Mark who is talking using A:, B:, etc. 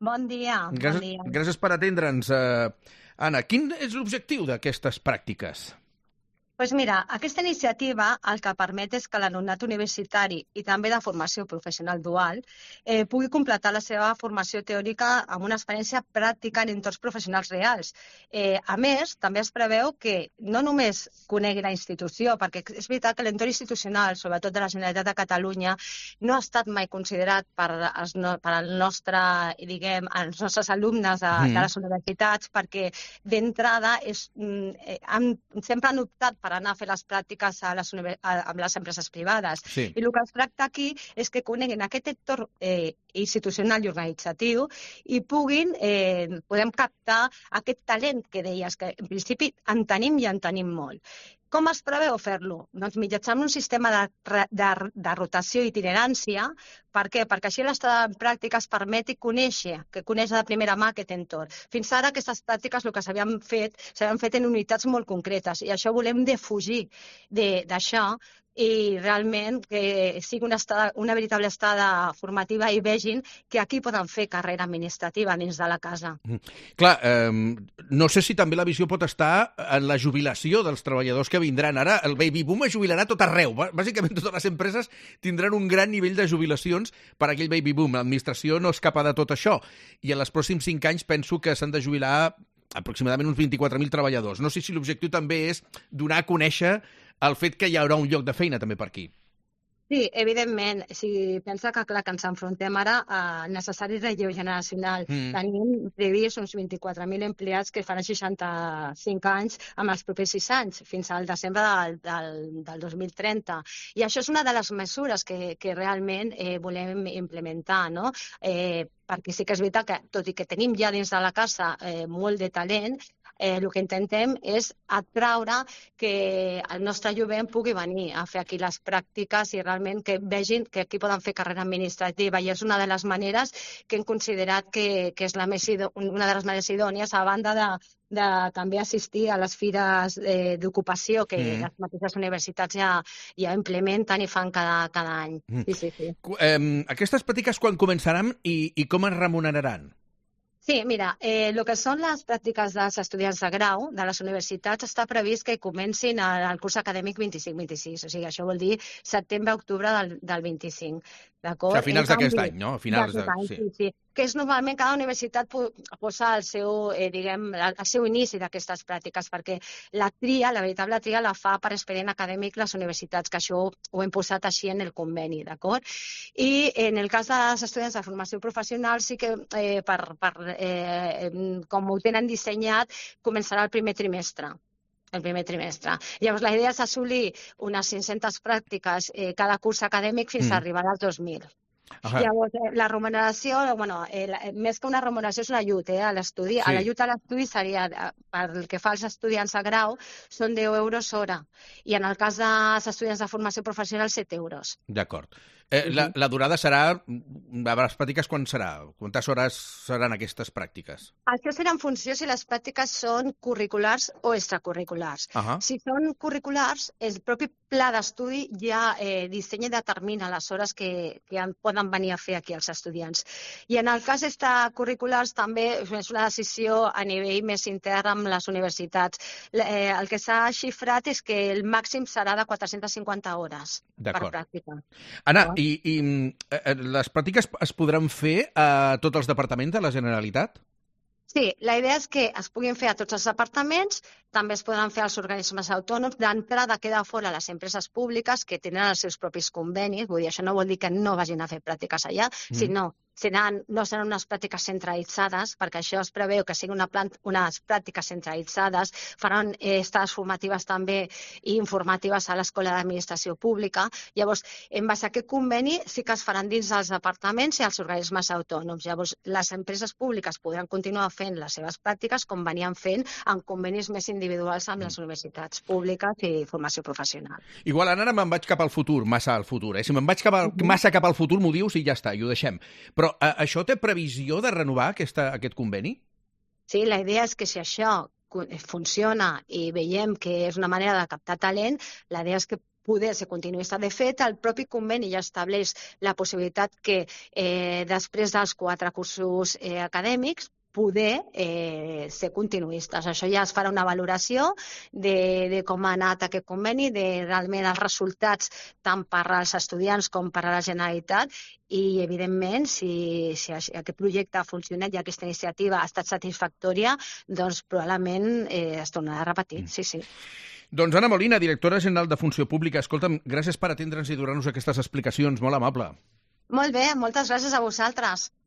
A: Bon dia, bon dia.
B: Gràcies per atendre'ns. Anna, quin és l'objectiu d'aquestes pràctiques?
A: Doncs mira, aquesta iniciativa el que permet és que l'alumnat universitari i també de formació professional dual pugui completar la seva formació teòrica amb una experiència pràctica en entorns professionals reals. A més, també es preveu que no només conegui la institució, perquè és veritat que l'entorn institucional, sobretot de la Generalitat de Catalunya, no ha estat mai considerat per als nostres alumnes de les universitats, perquè d'entrada sempre han optat per anar a fer les pràctiques amb les empreses privades.
B: Sí.
A: I el que es tracta aquí és que coneguin aquest entorn institucional i organitzatiu i podem captar aquest talent que deies, que en principi en tenim i en tenim molt. Com es preveu fer-lo? Doncs mitjançant un sistema de rotació i itinerància. Per què? Perquè així l'estada en pràctiques permeti conèixer de primera mà aquest entorn. Fins ara aquestes pràctiques el que s'havien fet en unitats molt concretes i això volem defugir d'això i realment que sigui una veritable estada formativa i vegin que aquí poden fer carrera administrativa dins de la casa.
B: Clar, no sé si també la visió pot estar en la jubilació dels treballadors que vindran. Ara el baby boom es jubilarà tot arreu. Bàsicament totes les empreses tindran un gran nivell de jubilacions per aquell baby boom. L'administració no escapa de tot això. I en els pròxims 5 anys penso que s'han de jubilar aproximadament uns 24.000 treballadors. No sé si l'objectiu també és donar a conèixer el fet que hi haurà un lloc de feina també per aquí.
A: Sí, evidentment. Si pensa que, clar, que ens enfrontem ara a necessari relleu generacional. Tenim previst uns 24.000 empleats que faran 65 anys amb els propers 6 anys, fins al desembre del 2030. I això és una de les mesures que realment volem implementar, no? Perquè sí que és veritat que, tot i que tenim ja dins de la casa molt de talent, el que intentem és atraure que el nostre jovent pugui venir a fer aquí les pràctiques i realment que vegin que aquí poden fer carrera administrativa. I és una de les maneres que hem considerat que és una de les maneres idònies, a banda de també assistir a les fires d'ocupació que les mateixes universitats ja implementen i fan cada any. Sí.
B: Aquestes pràctiques quan començaran i com es remuneraran?
A: Sí, mira, el que són les pràctiques dels estudiants de grau de les universitats està previst que comencin el curs acadèmic 25-26, o sigui, això vol dir setembre-octubre del 25.
B: A finals d'aquest any, no? A finals
A: sí. Que és normalment cada universitat posa el seu inici d'aquestes pràctiques, perquè la veritable tria la fa per expedient acadèmic les universitats, que això ho hem posat així en el conveni, d'acord? I en el cas dels estudiants de formació professional sí que com ho tenen dissenyat, començarà el primer trimestre. Llavors, la idea és assolir unes 500 pràctiques cada curs acadèmic fins a arribar als 2.000. Llavors, la remuneració, més que una remuneració és un ajut a l'estudi. L'ajut a l'estudi seria, pel que fa als estudiants de grau, són 10 euros hora. I en el cas dels estudiants de formació professional, 7 euros.
B: D'acord. La durada serà, a les pràctiques, quan serà? Quantes hores seran aquestes pràctiques?
A: Això serà en funció si les pràctiques són curriculars o extracurriculars. Si són curriculars, el propi pla d'estudi ja dissenya i determina les hores que poden venir a fer aquí els estudiants. I en el cas extracurriculars també és una decisió a nivell més intern amb les universitats. El que s'ha xifrat és que el màxim serà de 450 hores per pràctica.
B: Anna, i les pràctiques es podran fer a tots els departaments de la Generalitat?
A: Sí, la idea és que es puguin fer a tots els departaments, també es podran fer als organismes autònoms. D'entrada queda fora les empreses públiques que tenen els seus propis convenis, vull dir, això no vol dir que no vagin a fer pràctiques allà, sinó no seran unes pràctiques centralitzades, perquè això es preveu que siguin unes pràctiques centralitzades, faran estades formatives també i informatives a l'Escola d'Administració Pública. Llavors, en base a aquest conveni sí que es faran dins dels departaments i els organismes autònoms. Llavors, les empreses públiques podran continuar fent les seves pràctiques com venien fent en convenis més individuals amb les universitats públiques i formació professional.
B: Igual ara me'n vaig cap al futur, massa al futur. Si me'n vaig massa cap al futur, m'ho dius i ja està, i ho deixem. Però això té previsió de renovar aquest conveni?
A: Sí, la idea és que si això funciona i veiem que és una manera de captar talent, la idea és que poder ser continuista. De fet, el propi conveni ja estableix la possibilitat que després dels 4 cursos acadèmics poder ser continuistes. Això ja es farà una valoració de com ha anat aquest conveni, de realment els resultats tant per als estudiants com per a la Generalitat i, evidentment, si aquest projecte ha funcionat i aquesta iniciativa ha estat satisfactòria, doncs probablement es tornarà a repetir, sí.
B: Doncs Anna Molina, directora general de Funció Pública, escolta'm, gràcies per atendre'ns i donar-nos aquestes explicacions, molt amable.
A: Molt bé, moltes gràcies a vosaltres.